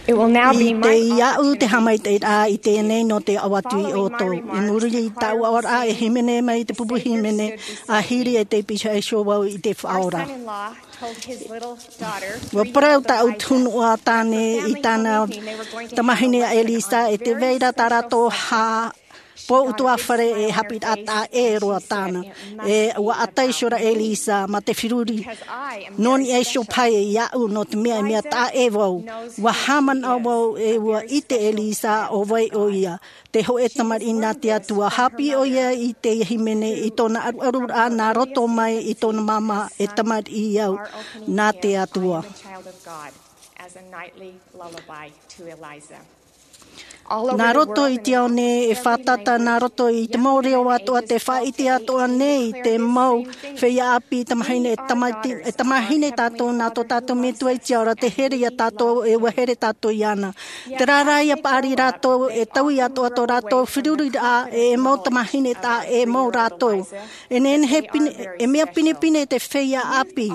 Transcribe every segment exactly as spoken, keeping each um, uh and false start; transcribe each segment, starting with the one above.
I te iaʻu te haʻamaitaʻiraʻa i teie nei nō te aʻo atu iā ʻoutou. I muri i tāʻu aʻoraʻa e hīmene mai te pupu hīmene, a hiri e te pīhaʻi iho vau i te faʻaora. Ua parau tāʻu tunuʻa tāne i tāna tamahine a Elisa, e tē vai ra tā rātou hā pō utuafare e haʻapiʻiraʻa taʻa ʻē roa tāna. E ua ʻata iho ra Elisa mā te feruri. Nō niʻa iho paʻi iāʻu, nō te mea e mea taʻa ʻē vau. Ua haʻamanaʻo vau e ua ʻite Elisa ʻo vai ʻoia. Te hōʻē tamariʻi nā te Atua. Haʻapiʻi ʻoia i te hīmene i tōna ʻaruʻaruraʻa nā roto mai i tōna māmā, e tamariʻi au nā te Atua. Nā roto i te ao nei e fātata, nā roto i te mau reo atoʻa, te faʻaʻite atoʻa nei te mau feiā ʻāpī, tamahine, e tamati-, e tamahine tātou nā tō tātou Metua i te ao ra, te here iā tātou, e ua here tātou iāna. Terā rā ʻia paʻari rātou, e taui atoʻa tō rātou feruriraʻa, e mau tamahine taʻa ʻē mau rātou. E nehenehe pine, e mea pinepine te feiā ʻāpī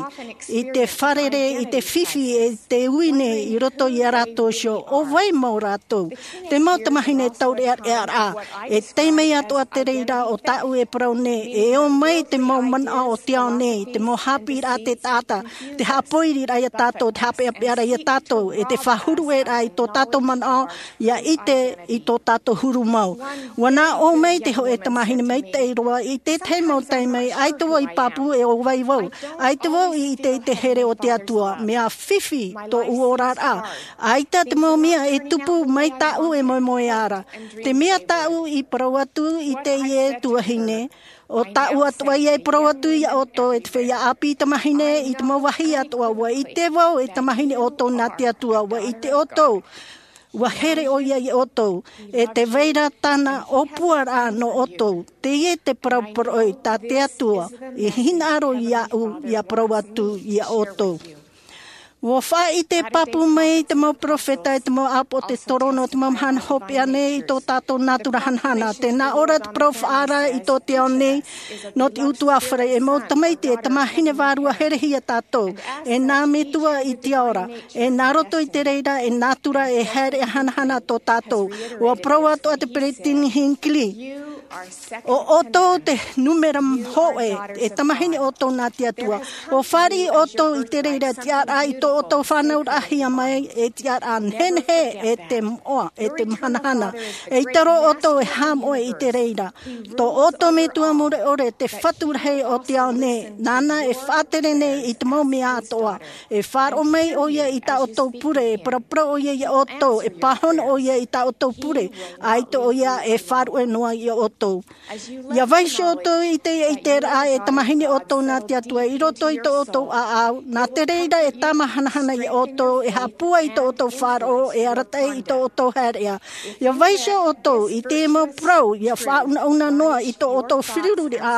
i te fārerei, i te fifi, e te uine i roto iā rātou iho, ʻo vai mau rātou. Te mau tamahine taureʻareʻa, e tei mai atoʻa te reira o tāʻu e parau nei, e ō mai te mau manaʻo o te ao nei, te mau haʻapiʻiraʻa a te taʻata, te haʻapoiriraʻa iā tātou, te haʻapeʻapeʻaraʻa iā tātou, e te faʻahurueraʻa i tō tātou manaʻo, ʻia ʻite i tō tātou huru mau. Ua nā ʻō mai te hōʻē tamahine maitaʻi roa i te tahi mau taime, ʻaita vau i pāpū e ʻo vai vau. ʻAita vau i ʻite i te here o te Atua, mea fifi tōʻu oraraʻa. ʻAita te mau mea e tupu mai tāʻu e moemoeā ra. Te mea tāʻu i parau atu i teie tuahine, ʻo tāʻu atoʻa ïa e parau atu iā ʻoutou, e te feiā ʻāpī tamahine i te mau vāhi atoʻa, ʻua ʻite vau e tamahine ʻoutou nā te Atua, ʻua ʻite ʻoutou, ʻua here ʻoia iā ʻoutou, e tē vai ra tāna ʻōpuaraʻa nō ʻoutou. Teie te parau parau tā te Atua i hinaʻaro iāʻu, ʻia parau atu iā ʻoutou. ʻUa faʻaʻite pāpū mai te mau peropheta, e te mau ʻāpotetoro, nō te mau mahana hopeʻa nei i tō tātou nātura hanahana. Tē nā ʻō ra te parau faʻaara i tō te ao nei, nō te utuafare, e mau tamaiti, e tamahine vārua herehia tātou, e nā Metua i te ao ra, e nā roto i te reira, e nātura, e haere hanahana tō tātou. ʻUa parau atoʻa te peresideni Hinckley, ʻo ʻoutou te nūmera hōʻē, e tamahine ʻoutou nā te Atua. ʻUa fāriʻi ʻoutou i te reira, tiʻaraʻa i tō ʻoutou fānauraʻahia mai, e tiʻaraʻa nehenehe, e te moʻa, e te mahanahana. ʻEita roa ʻoutou e haʻamoʻe i te reira. Tō ʻoutou Metua mure ʻore, te Fatu rahi o te ao nei, nāna e faʻatere nei i te mau mea atoʻa. E faʻaroʻo mai ʻoia i tā ʻoutou pure, e paraparau ʻoia iā ʻoutou, e pāhono ʻoia i tā ʻoutou pure, ʻaita ʻoia e faʻaruʻe noa iā ʻoutou. ʻIa vaiiho ʻoutou i te, i te ʻiteraʻa e tamahine ʻoutou nā te Atua i roto i tō ʻoutou ʻāʻau, nā te reira e tāmāhanahana iā ʻoutou, e haʻapūai i tō ʻoutou faʻaroʻo, e arataʻi i tō ʻoutou haereʻa. ʻIa vaiiho ʻoutou i te mau parau, ʻia faʻaunauna noa i tō ʻoutou feruriraʻa,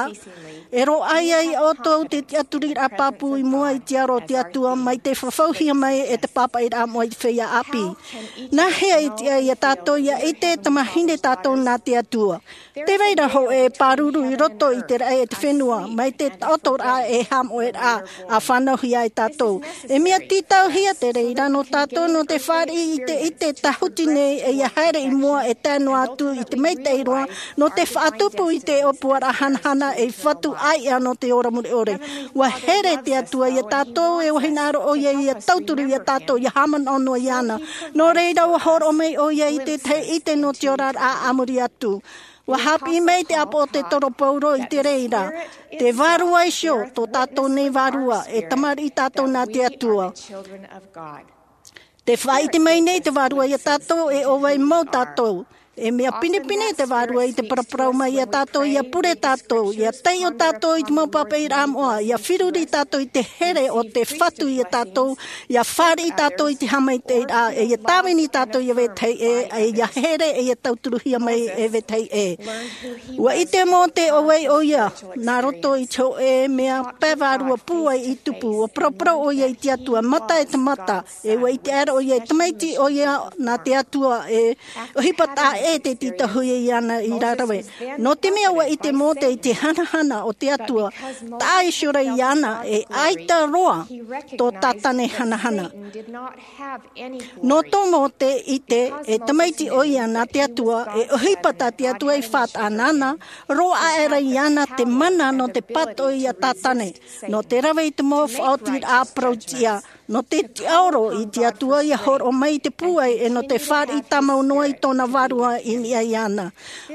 e roaʻa iā ʻoutou te tiʻaturiraʻa pāpū i mua i te aro o te Atua, mai te fafauhia mai e te pāpaʻiraʻa moʻa i te feiā ʻāpī. Nāhea e tiʻa iā tātou ʻia ʻite e tamahine tātou nā te Atua? Tē vai ra hōʻē pāruru i roto i te raʻi e te fenua, mai te taʻotoraʻa e haʻamoʻeraʻa, ʻa fānauhia e tātou. E mea tītauhia te reira nō tātou, nō te fāriʻi i te ʻite tāhuti nei, e ʻia haere i mua e tae noa atu i te maitaʻi roa, nō te faʻatupu i te ʻōpuaraʻa hanahana ei Fatu ʻāiʻa nō te ora mure ʻore. ʻUa here te Atua iā tātou, e ʻua hinaʻaro ʻoia ʻia tauturu iā tātou, ʻia haʻamanaʻo noa iāna. Nō reira, ʻua hōroʻa mai ʻoia i te tahi ʻite nō te oraraʻa a muri atu. ʻUa haʻapiʻi mai te ʻāpōsetolo Paulo i te reira, te vārua iho, tō tātou nei vārua, e tamariʻi tātou nā te Atua. Tē faʻaʻite mai nei te vārua iā tātou, e ʻo vai mau tātou. E mea pinepine te vārua i te paraparau mai iā tātou, ʻia pure tātou, ʻia taiʻo tātou i te mau pāpaʻiraʻa moʻa, ʻia feruri tātou i te here o te Fatu iā tātou, ʻia fāriʻi tātou i te haʻamaitaʻiraʻa, e ʻia tāvini tātou iā vetahi ʻē, e ʻia here, e ʻia tauturuhia mai e vetahi ʻē. ʻUa ʻite Mōse ʻo vai ʻoia, nā roto i te hōʻē mea pae vārua pūai i tupu, ʻua paraparau ʻoia i te Atua, mata e te mata, e ʻua ʻite aʻera ʻoia, e tamaiti ʻoia nā te Atua, e ʻohipa taʻa e te tītauhia iāna i rāveʻa. Nō te mea ua ʻite Mōte i te hanahana o te Atua, taʻa iho rā iāna e ʻaita roa tō Tātane hanahana. Nō tō Mōte ʻite, e tamaiti ʻoia nā te Atua, e ʻohipa tā te Atua i faʻataʻa nāna, roa aʻe rā iāna te mana nō te pātoʻi ia Tātane, nō te rave i te mau faʻaotiraʻa parau tiʻa, nō te tiʻaoro i te Atua ʻia hōroʻa mai i te pūai, e nō te fāriʻi tāmau noa i tōna Vārua i niʻa iāna.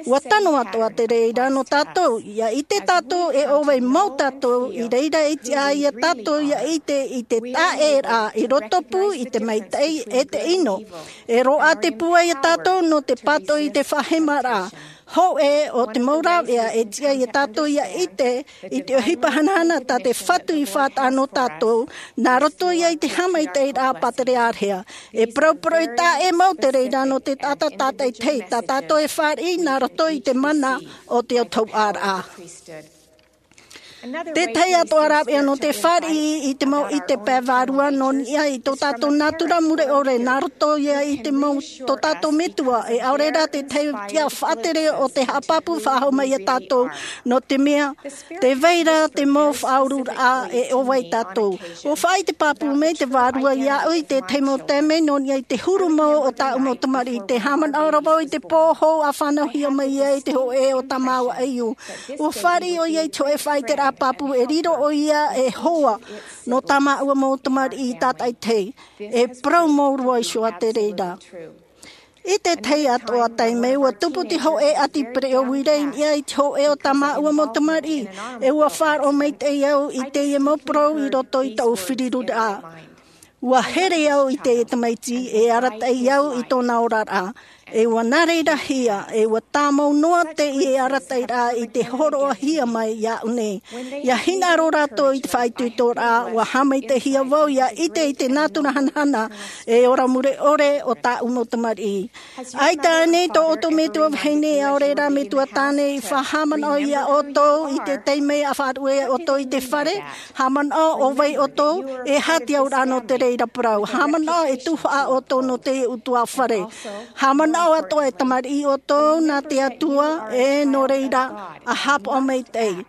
Ua tano atoʻa te reira nō tātou, ʻia ʻite tātou e ʻo vai mau tātou, i reira e tiʻa ai ia tātou ʻia ʻite i te taʻeraʻa i rotopū i te maitaʻi e te ʻino. E roaʻa te pūai ia tātou nō te pātoʻi i te faʻahemaraʻa. Hōʻē o te mau rāveʻa e tiʻa ia tātou ʻia ʻite i te ʻohipa hanahana tā te Fatu i faʻataʻa nō tātou, nā roto ia i te haʻamaitaʻiraʻa pāterearehia. E parauparau e taʻa ʻē mau te reira nō te taʻata tātaʻitahi, tā tātou e fāriʻi nā roto i te mana o te autahuʻaraʻa. Te tahi atoʻa rāveʻa nō te fāriʻi i te mau ʻite pae vārua nō niʻa i tō tātou nātura mure ʻore, nā roto ia i te mau tō tātou metua, e ʻaore rā te tahi tiʻa faʻatere o te haʻapāpū faʻahou mai ia tātou, nō te mea, tē vai ra te mau faʻaururaʻa e ʻo vai tātou. ʻUa faʻaʻite pāpū mai te Vārua iāʻu i te tahi mau taime nō niʻa i te huru mau o tāʻu mau tamariʻi, tē haʻamanaʻo ra vau i te pō hou ʻa fānauhia mai ai te hōʻē o tā māua ʻaiū. ʻUa fāriʻi ʻoia i te hōʻē faʻaʻiteraʻa pāpū e riro ʻoia e hoa nō tā māua mau tamariʻi tātaʻitahi. E parau mau roa iho ā te reira. I te tahi atoʻa taime, ʻua tupu te hōʻē ʻati pereʻo uira i niʻa i te hōʻē o tā māua mau tamariʻi, e ʻua faʻaroʻo maitaʻi au i teie mau parau i roto i tōʻu firiruraʻa. ʻUa here au i te tamaiti e arataʻi au i tōna oraraʻa, e ʻua nā reira hia, e ʻua tāmau noa teie arataʻiraʻa i te hōroʻahia mai iāʻu nei. ʻIa hinaʻaro rātou i te faʻaitoitoraʻa, ʻua haʻamaitaʻihia vau ʻia ʻite i te nātura hanahana e ora mure ʻore o tāʻu mau tamariʻi. ʻAita ānei tō ʻoutou metua vahine, ʻaore rā metua tāne, i faʻahaʻamanaʻo ia ʻoutou i te taime a faʻaruʻe ʻoutou i te fare? Haʻamanaʻo ʻo vai ʻoutou? E aha te auraʻa nō te reira parau? Haʻamanaʻo e tuhaʻa ʻoutou nō te ʻutuāfare? Haʻamanaʻo atoʻa e tamariʻi ʻoutou nā te Atua, e nō reira, ʻa haʻapaʻo maitaʻi.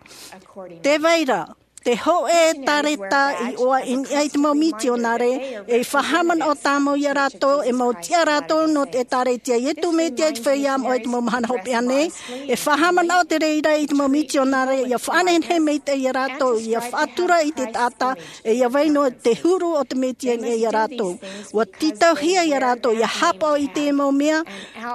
Tē vai ra te hōʻē tāreta i ʻoaʻi i niʻa i te mau mitionare, e faʻahaʻamanaʻo tāmau ia rātou, e mau tiʻa rātou nō te ʻĒtārētia a Iesu Mesia i te feiā moʻa i te mau mahana hopeʻa nei, e faʻahaʻamanaʻo te reira i te mau mitionare, ʻia faʻanehenehe maitaʻi ia rātou, ʻia faʻatura i te taʻata, e ʻia vai noa te huru o te Mesia i niʻa ia rātou. ʻUa tītauhia ia rātou ʻia haʻapaʻo i te mau mea,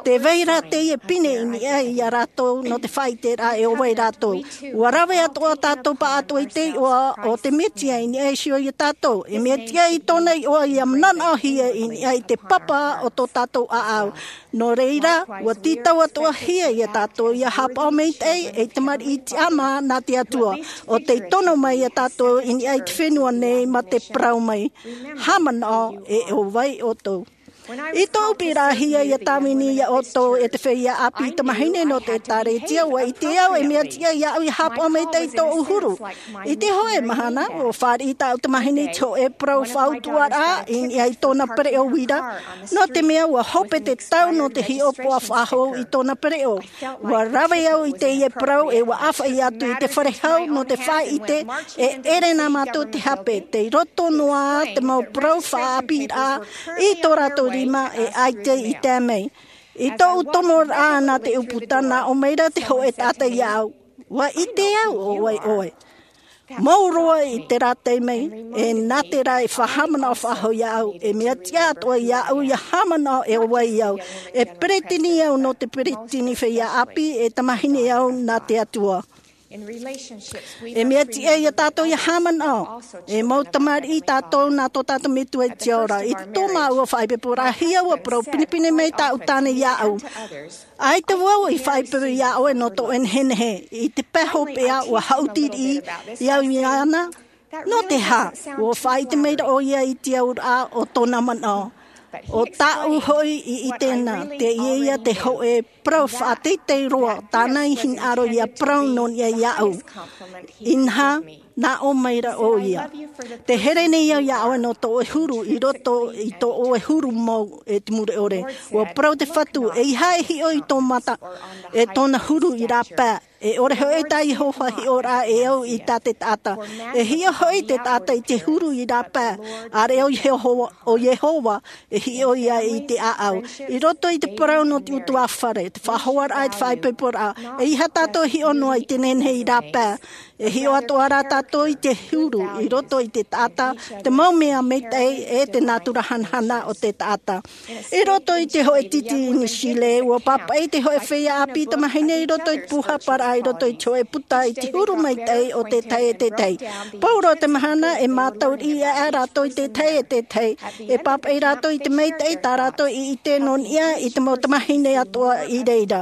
tē vai ra teie pine i niʻa ia rātou nō te faʻaʻiteraʻa e ʻo vai rātou. ʻUa rave atoʻa tātou pāʻatoʻa i te iʻoa o te Mesia i niʻa iho ia tātou. E mea tiʻa i tōna iʻoa ʻia mananaʻohia i niʻa i te papa o tō tātou ʻāʻau. Nō reira, ʻua tītau atoʻahia ia tātou ʻia haʻapaʻo maitaʻi ei tamariʻi tiʻamā nā te Atua, ʻo tei tono mai ia tātou i niʻa i te fenua nei mā te parau mai, haʻamanaʻo e ʻo vai ʻoutou. I tōʻu piʻiraʻahia ʻia tāvini ia ʻoutou e te feiā ʻāpī tamāhine nō te ʻĒtārētia, ʻua ʻite au e mea tiʻa iāʻu ʻia haʻapaʻo maitaʻi i tōʻu huru. I te hōʻē mahana, ʻua fāriʻi tāʻu tamāhine i te hōʻē parau faʻautuʻaraʻa i niʻa i tōna pereʻo uira, nō te mea ʻua hope te tau nō te hiʻopoʻa faʻahou i tōna pereʻo. ʻUa rave au i teie parau e ʻua ʻāfaʻi atu i te fare hau nō te faʻaʻite e ʻere nā mātou te hape, tei roto noa te mau parau faʻaʻāpīraʻa i tō rātou rima e ʻaita i tae mai. I tōʻu tomoraʻa nā te ʻūputa, nā ʻō mai ra te hōʻē taʻata iāʻu, ʻua ʻite au ʻo vai ʻoe. Mau roa i terā taime, e nā terā e faʻahaʻamanaʻo faʻahou iāʻu, e mea tiʻa atoʻa iāʻu ʻia haʻamanaʻo e ʻo vai au. E peretiteni au nō te peretiteni feiā ʻāpī, e tamāhine au nā te Atua. E mea tiʻa ia tātou ʻia haʻamanaʻo, e mau tamariʻi tātou nā tō tātou Metua i te ao ra. I tō māua faʻaipoiporaʻahia, ʻua parau pinepine mai tāʻu tāne iāʻu. ʻAita vau i faʻaipoipo iā ʻoe nō tō ʻoe nehenehe. I te pae hopeʻa, ʻua haʻuti riʻi au iāna. Nō te aha? ʻUa faʻaʻite mai ra ʻoia i te auraʻa o tōna manaʻo. ʻO tāʻu hoʻi i ʻite na, teie ia te hōʻē parau faʻateitei roa tāna i hinaʻaro ia parau nō niʻa iāʻu. Inaha, nā ʻō mai ra ʻoia. Te here nei au iā ʻoe nō tō ʻoe huru i roto i tō ʻoe huru mau e te mure ʻore. ʻUa parau te Fatu, ʻeiaha e hiʻo i tō mata, e tōna huru i rāpae. E ʻore hoʻi tā Iehova hiʻo ra e au i tā te taʻata. E hiʻo hoʻi te taʻata i te huru i rāpae, ʻāreʻa ʻo Iehova, ʻo Iehova e hiʻo ia i te ʻāʻau. I roto i te parau nō te ʻutuāfare, te faʻahoaraʻa, te faʻaipoiporaʻa, ʻeiaha tātou e hiʻo noa i te nehenehe i rāpae. E hiʻo atoʻa rā tātou i te huru, i roto i te taʻata, te mau mea maitaʻi, e te nātura hanahana o te taʻata. I roto i te hōʻē tītī i Niu Sīlē, ʻua pāpaʻi te hōʻē feiā ʻāpī tamāhine i roto i te pūhaparaʻa, i roto i te hōʻē puta i te huru maitaʻi o te tahi e te tahi. Pauroa te mahana e mātaʻu riʻi aʻe rātou i te tahi e te tahi. E pāpaʻi rātou i te maitaʻi tā rātou i ʻite nō niʻa i te mau tamāhine atoʻa i reira.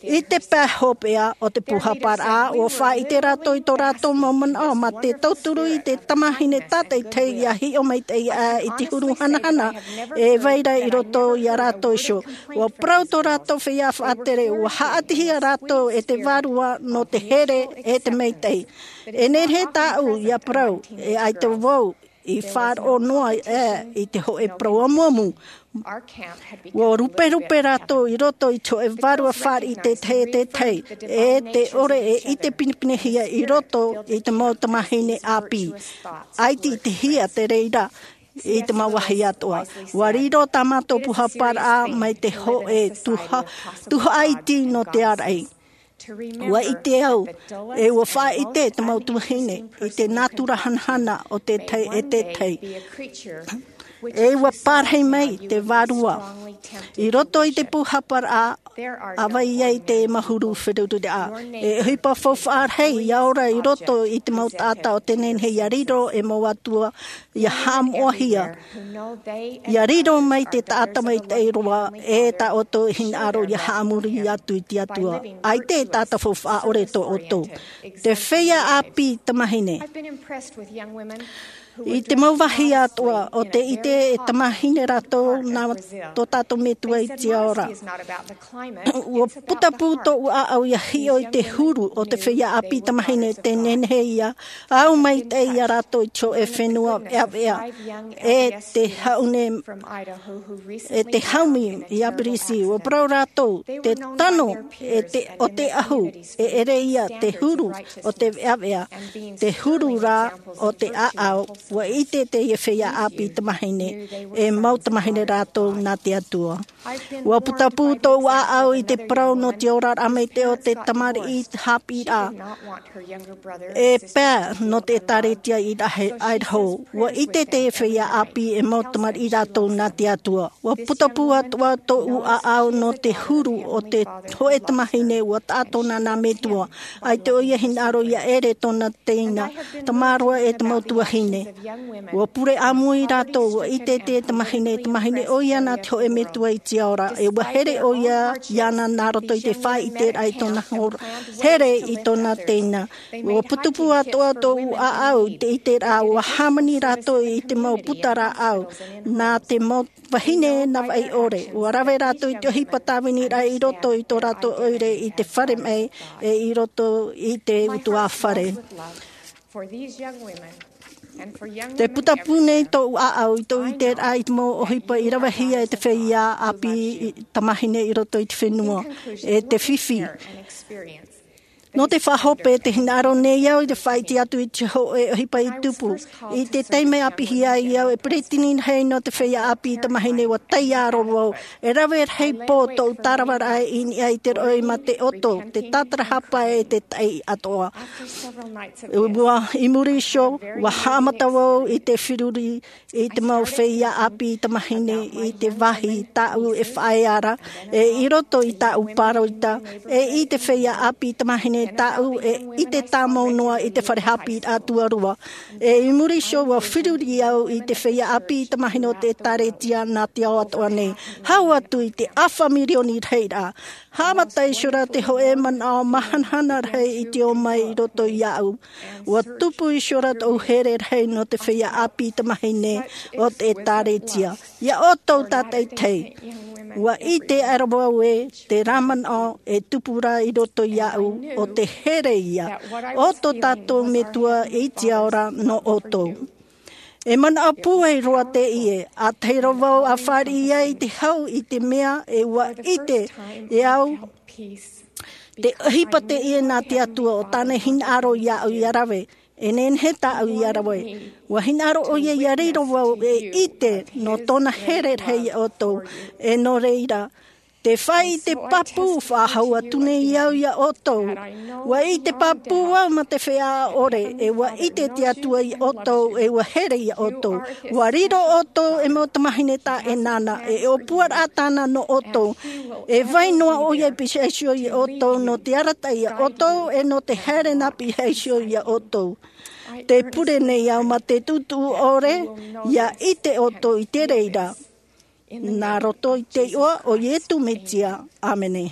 I te pae hopeʻa o te pūhaparaʻa, ʻua faʻaʻite rātou i tō rātou mau manaʻo mā te tauturu i te tamāhine tātaʻitahi ʻia hiʻo maitaʻi aʻe i te huru hanahana e vai ra i roto iā rātou iho. ʻUa parau tō rātou feiā faʻatere, ʻua haʻatihia rātou e te Vārua nō te here e te maitaʻi. E nehenehe tāʻu ʻia parau, e ʻaita vau i faʻaroʻo noa aʻe i te hōʻē parau amuamu. ʻUa ruperupe rātou i roto i te hōʻē vārua fāriʻi i te tahi e te tahi, e te ʻore e ʻite pinepinehia i roto i te mau tamāhine ʻāpī. ʻAita i ʻitehia te reira i te mau vāhi atoʻa. ʻUa riro tā mātou pūhaparaʻa mai te hōʻē tuha-, tuhaʻa iti nō te āraʻi. ʻUa ʻite au, e ʻua faʻaʻite te mau tuahine i te nātura hanahana o te tahi e te tahi. E ʻua pārahi mai te Vārua. I roto i te pūhaparaʻa, ʻa vai ai te mau huru feruriraʻa. E ʻohipa faufaʻa rahi ʻia ora i roto i te mau taʻata o te nehenehe ʻia riro e mau atua ʻia haʻamoʻahia. ʻIa riro mai te taʻata maitaʻi roa, e tā ʻoutou e hinaʻaro ʻia haʻamori atu i te Atua. ʻAita e taʻata faufaʻa ʻore tō ʻoutou. Te feiā ʻāpī tamāhine. I te mau vāhi atoʻa, ʻo tē ʻite e tamāhine rātou nā tō tātou Metua i te ao ra. ʻUa putapū tōʻu ʻāʻau ʻia hiʻo i te huru o te feiā ʻāpī tamāhine, te nehenehe ʻia au maitaʻi ia rātou i te hōʻē fenua ʻeaʻeaʻa, e te haʻune, e te haumi i Aberisi. ʻUa parau rātou, te tano, e te, o te ʻahu, e ʻere ia te huru o te ʻeaʻeaʻa, te huru rā o te ʻāʻau. ʻUa ʻite teie feiā ʻāpī tamāhine, e mau tamāhine rātou nā te Atua. ʻUa putapū tōʻu ʻāʻau i te parau nō te oraraʻa maitaʻi o te tamariʻi haʻapiʻiraʻa. E pae nō te ʻēkālesia i Idaho. ʻUa ʻite te feiā ʻāpī e mau tamariʻi rātou nā te Atua. ʻUa putapū atoʻa tōʻu ʻāʻau nō te huru o te hōʻē tamāhine ʻua taʻa tōna nā Metua. ʻAita ʻoia e hinaʻaro ʻia ʻere tōna teina, tamaroa e te mau tuahine. ʻUa pure ʻāmui rātou, ʻua ʻite te tamāhine, tamāhine ʻoia nā te hōʻē Metua i te ao ra, e ʻua here ʻoia iāna nā roto i te faʻaʻiteraʻa i tōna hor-, here i tōna teina. ʻUa putapū atoʻa tōʻu ʻāʻau i te ʻiteraʻa, ʻua hāmani rātou i te mau puta rāʻau, nā te mau vahine navaʻi ʻore. ʻUa rave rātou i te ʻohipa tāviniraʻa i roto i tō rātou ʻoire i te fare maʻi, e i roto i te ʻutuāfare. Te putapū nei tōʻu ʻāʻau i tōʻu ʻiteraʻa i te mau ʻohipa i ravehia e te feiā ʻāpī tamāhine i roto i te fenua, e te fifi. Nō te faʻahope, tē hinaʻaro nei au i te faʻaʻite atu i te hōʻē ʻohipa i tupu. I te taime ʻāpīhia ai au e peretiteni rahi nō te feiā ʻāpī tamāhine, ʻua taiā roa vau. E rave rahi pō tōʻu tāravaraʻa i niʻa i te roʻi mā te ʻoto, te tātarahapa e te taʻi atoʻa. ʻUa, i muri iho, ʻua haʻamata vau i te feruri i te mau feiā ʻāpī tamāhine i te vāhi tāʻu e faʻaea ra, e i roto i tāʻu pāroita, e i te feiā ʻāpī tamāhine tāʻu e ʻite tāmau noa i te fare haʻapiʻiraʻa tuarua. E i muri iho ua feruri au i te feiā ʻāpī tamāhine o te ʻēkālesia nā te ao atoʻa nei. Hau atu i te ʻāfa mirioni rahiraʻa. Haʻamata iho ra te hōʻē manaʻo māhanahana rahi i te ō mai i roto iāʻu. Ua tupu iho ra tōʻu here rahi nō te feiā ʻāpī tamāhine o te ʻēkālesia. Iā ʻoutou tātaʻitahi, ua ʻite aʻera vau ē te rā manaʻo e tupu ra i roto iāʻu, ʻo te here ia o tō tātou Metua i te ao ra nō ʻoutou. E manaʻo pūai roa teie, ʻa tahi roa vau a fāriʻi ai i te hau i te mea e ua ʻite e au te ʻohipa teie nā te Atua, ʻo tāna hinaʻaro iāʻu ia rave. E nehenehe tāʻu ia rave. Ua hinaʻaro ʻoia ia riro vau e ʻite nō tōna here rahi iā ʻoutou. E nō reira, te fāʻi i te pāpū, faʻahou atu nei au iā ʻoutou. Ua ʻite pāpū au mā te feiā ʻore, e ua ʻite te Atua iā ʻoutou, e ua here iā ʻoutou. Ua riro ʻoutou e mau tamāhine taʻenāna, e ʻōpuaraʻa tāna nō ʻoutou. E vai noa ʻoia i pihaʻi iho iā ʻoutou, nō te arataʻi iā ʻoutou, e nō te haere nā pihaʻi iho iā ʻoutou. Tē pure nei au mā te tuʻutuʻu ʻore, ia ʻite ʻoutou i te reira. Nā roto i te iʻoa o Iesu Mesia. ʻĀmene.